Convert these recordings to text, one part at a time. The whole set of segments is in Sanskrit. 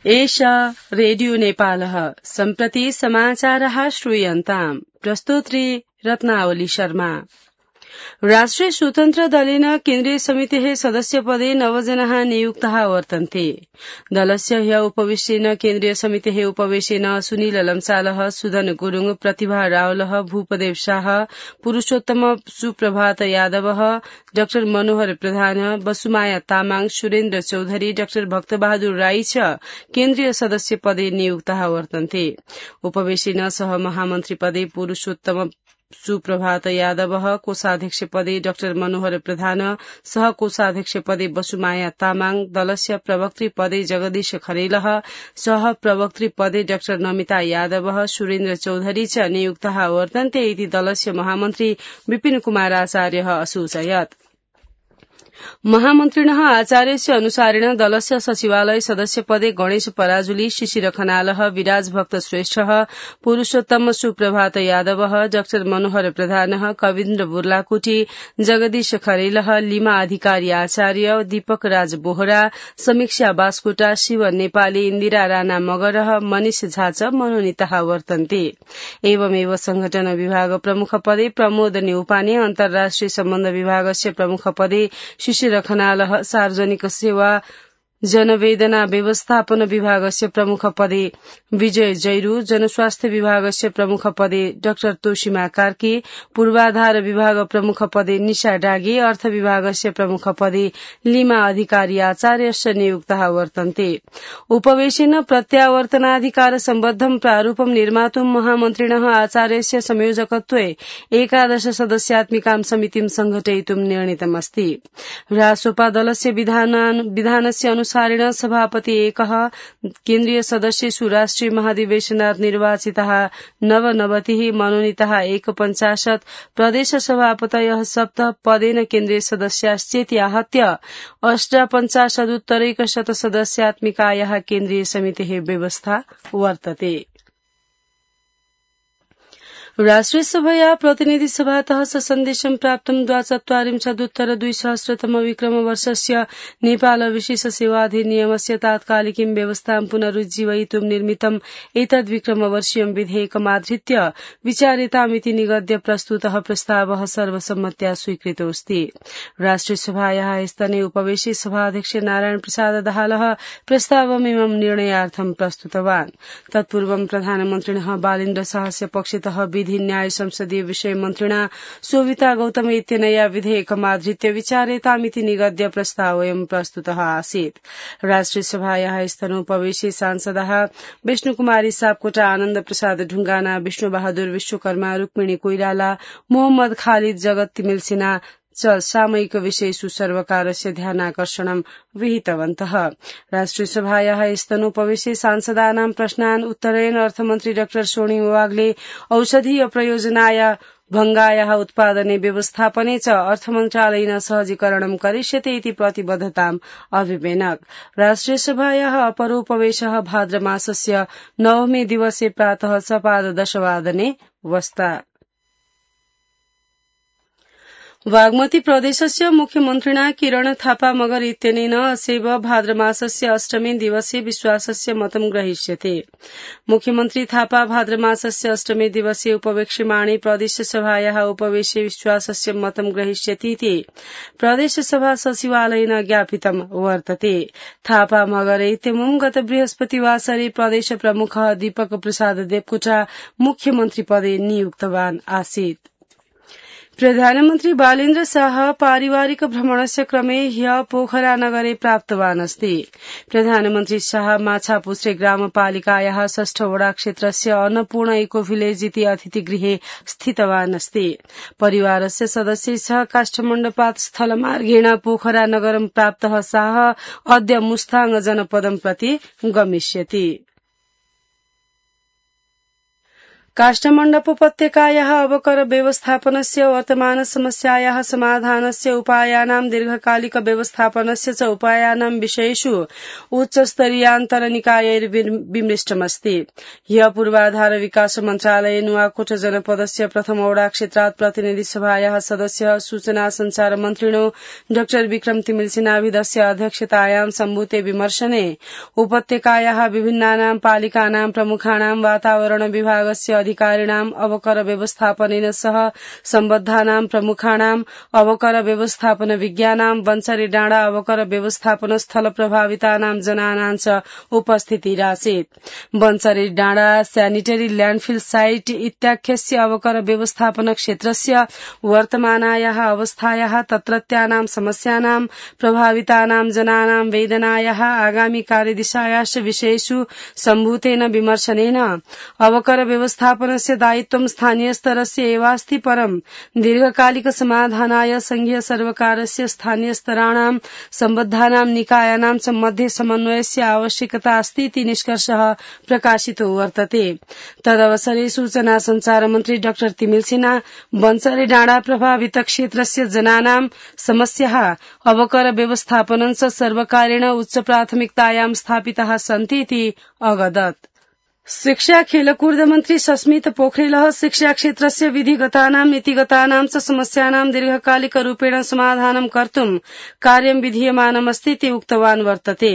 एषा रेडियो नेपालः सम्प्रति समाचारः श्रूयन्ताम् प्रस्तोत्री रत्नावली शर्मा। राष्ट्रिय स्वतन्त्र दलेन केन्द्रीय समितेः सदस्यपदे 9 जनाः नियुक्ताः वर्तन्ते। दलस्य ह्य उपवेशेन केन्द्रीय समितेः उपवेशेन सुनील लम्सालः, सुदन गुरुङ, प्रतिभा रावलः, भूपदेव शाह, पुरूषोत्तम सुप्रभात यादवः, डाक्टर मनोहर प्रधान, बसुमाया तामाङ, सुरेन्द्र चौधरी, डाक्टर भक्तबहादुर राई च केन्द्रीय सदस्य पदे नियुक्ताः वर्तन्ते। उपवेशेन सह महामन्त्री पदे पुरूषोत्तम सुप्रभात यादवः, कोषाध्यक्ष पदे डाक्टर मनोहर प्रधान, सह कोषाध्यक्ष पदे बसुमाया तामाङ, दलस्य प्रवक्त्री पदे जगदीश खरेलः, सह प्रवक्त्री पदे डाक्टर नमिता यादवः, सुरेन्द्र चौधरी च नियुक्ताः वर्तन्ते इति दलस्य महामन्त्री विपिन कुमार आचार्यः असूचयत्। महामन्त्रिणः आचार्यस्य अनुसारेण दलस्य सचिवालय सदस्य पदे गणेश पराजुली, शिशिर खनालः, विराज भक्त श्रेष्ठः, पुरूषोत्तम सुप्रभात यादवः, डाक्टर मनोहर प्रधानः, कविन्द्र बुर्लाकोटी, जगदीश खरेलः, लिमा अधिकारी आचार्य, दीपक राज बोहरा, समीक्षा बास्कोटा, शिव नेपाली, इन्दिरा राणा मगरः, मनिष झा च मनोनीताः वर्तन्ते। एवमेव संघटन विभाग प्रमुख पदे प्रमोद न्यौपाने, अन्तर्राष्ट्रिय सम्बन्ध विभागस्य प्रमुख पदे शिशिर खनालः, सार्वजनिक सेवा जनवेदना व्यवस्थापन विभागस्य प्रमुख पदे विजय जैरू, जनस्वास्थ्य विभागस्य प्रमुख पदे डाक्टर तोशिमा कार्की, पूर्वाधार विभाग प्रमुख पदे निशा डागे, अर्थ विभागस्य प्रमुख पदे लिमा अधिकारी आचार्यश्च नियुक्ताः वर्तन्ते। उपवेशेन प्रत्यावर्तनाधिकार सम्बद्धं प्रारूपं निर्मातुं महामन्त्रिणः आचार्यस्य संयोजकत्वे 11 सदस्यात्मिकां समितिं संघटयितुं निर्णीतमस्ति। रासोपा दलस्य विधानस्य अनुसारेण सभापति एकः, केन्द्रीय सदस्येषु राष्ट्रिय महाधिवेशनात् निर्वाचिताः 99, मनोनीताः 41, प्रदेश सभापतयः 7, पदेन केन्द्रीय सदस्याश्चेति आहत्य 48 सदस्यात्मिकायाः केन्द्रीय समितेः व्यवस्था वर्तते। राष्ट्रिय सभया प्रतिनिधि सभातः सन्देशं प्राप्तं 24 विक्रमवर्षस्य नेपाल विशेष सेवाधिनियमस्य तात्कालिकीं व्यवस्थां पुनरुज्जीवयितुं निर्मितम् एतद् विक्रमवर्षीयं विधेयकमाधृत्य विचार्यतामिति निगद्य प्रस्तुतः प्रस्तावः सर्वसम्मत्या स्वीकृतोऽस्ति। राष्ट्रिय सभायाः स्तने उपवेशे सभाध्यक्ष नारायण प्रसाद दाहालः प्रस्तावमिमं निर्णयार्थं प्रस्तुतवान्। तत्पूर्वं प्रधानमन्त्रिणः बालेन्द्र शाहस्य पक्षतः विधि न्याय संसदीय विषय मन्त्रिणा शोभिता गौतम इत्यनया विधेयकमाधृत्य विचार्यतामिति निगद्य प्रस्तावोऽयं प्रस्तुतः आसीत्। राष्ट्रिय सभायाः स्तनोपवेशे सांसदाः विष्णुकुमारी सापकोटा, आनन्द प्रसाद ढुंगाना, विष्णु बहादुर विश्वकर्मा, रुक्मिणी कोइराला, मोहम्मद खालिद जगत तिमिल सिन्हा च सामयिक विषयेषु सर्वकारस्य ध्यानाकर्षणं विहितवन्तः। राष्ट्रिय सभायाः स्तनोपवेशे सांसदानां प्रश्नान् उत्तरयन् अर्थमन्त्री डाक्टर सोनिम वाग्ले औषधीय प्रयोजनाय भंगायाः उत्पादने व्यवस्थापने च अर्थमन्त्रालयेन सहजीकरणं करिष्यते इति प्रतिबद्धताम् अभिवेनक। राष्ट्रिय सभायाः अपरोपवेशः भाद्रमासस्य 9 दिवसे प्रातः 10:15 वादने वस्ता। बागमती प्रदेशस्य मुख्यमन्त्रिणा किरण थापा मगर इत्यनेन असेव भाद्रमासस्य 8 दिवसे विश्वासस्य मतं ग्रहीष्यते। मुख्यमन्त्री थापा भाद्रमासस्य 8 दिवसे उपवेक्ष्यमाणे प्रदेशसभायाः उपवेशे विश्वासस्य मतं ग्रहीष्यतीति प्रदेशसभा सचिवालयेन ज्ञापितं वर्तते। थापा मगर इत्यमुं गत बृहस्पतिवासरे प्रदेश प्रमुखः दीपक प्रसाद देवकोटा मुख्यमन्त्री पदे नियुक्तवान् आसीत्। प्रधानमन्त्री बालेन्द्र शाह पारिवारिक भ्रमणस्य क्रमे ह्य पोखरा नगरे प्राप्तवान् अस्ति। प्रधानमन्त्री शाह माछापुच्छ्रे ग्रामपालिकायाः 6 वडा क्षेत्रस्य अन्नपूर्ण इको विलेज इति अतिथिगृहे स्थितवान् अस्ति। परिवारस्य सदस्यैः सह काष्ठमण्डपात् स्थलमार्गेण पोखरा नगरं प्राप्तः शाह अद्य मुस्ताङ जनपदं प्रति गमिष्यति। काष्ठमण्डप उपत्यकायाः अवकर व्यवस्थापनस्य वर्तमान समस्यायाः समाधानस्य उपायानां दीर्घकालिक व्यवस्थापनस्य च उपायानां विषयेषु उच्चस्तरीयान्तरनिकायैर्विमृष्टमस्ति। ह्यः पूर्वाधार विकास मन्त्रालये नुवाकोट जनपदस्य प्रथमौडा क्षेत्रात् प्रतिनिधिसभायाः सदस्यः सूचना संचार मन्त्रिणो डा विक्रम तिमिलसिनाभिधस्य अध्यक्षतायां सम्भूते विमर्शने उपत्यकायाः विभिन्नानां पालिकानां प्रमुखाणां वातावरण विभागस्य अधिकारिणाम् अवकर व्यवस्थापनेन सह सम्बद्धानां प्रमुखाणाम् अवकर व्यवस्थापन विज्ञानां बन्चरी डाँडा अवकर व्यवस्थापन स्थल प्रभावितानां जनानां च उपस्थितिरासीत्। बन्चरी डाँडा सैनिटरी ल्याण्डफिल साइट इत्याख्यस्य अवकर व्यवस्थापन क्षेत्रस्य वर्तमानायाः अवस्थायाः तत्रत्यानां समस्यानां प्रभावितानां जनानां वेदनायाः आगामी कार्यदिशायाश्च विषयेषु सम्भूतेन विमर्शनेन अवकर व्यवस्थापनस्य दायित्वं स्थानीय स्तरस्य एवास्ति परं दीर्घकालिक समाधानाय संघीय सर्वकारस्य स्थानीय स्तराणां सम्बद्धानां निकायानां च मध्ये समन्वयस्य आवश्यकता अस्ति इति निष्कर्षः प्रकाशितो वर्तते। तदवसरे सूचना संचार मन्त्री डा तिमिलसिना बन्चरी डाँडा प्रभावित क्षेत्रस्य जनानां समस्याः अवकर व्यवस्थापनं च सर्वकारेण उच्च प्राथमिकतायां स्थापिताः सन्ति इति अवगदत्। शिक्षा खेलकूद मन्त्री सस्मित पोखरेलः शिक्षा क्षेत्रस्य विधिगतानां नीतिगतानां च समस्यानां दीर्घकालिक रूपेण समाधानं कर्तुं कार्यं विधीयमानमस्ति इति उक्तवान् वर्तते।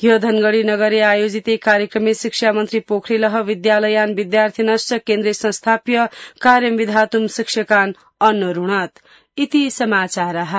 ह्यो धनगढ़ी नगरे आयोजिते कार्यक्रमे शिक्षा मन्त्री पोखरेलः विद्यालयान् विद्यार्थिनश्च केन्द्रे संस्थाप्य कार्यं विधातुं शिक्षकान् अन्नोरुणत् इति समाचारः।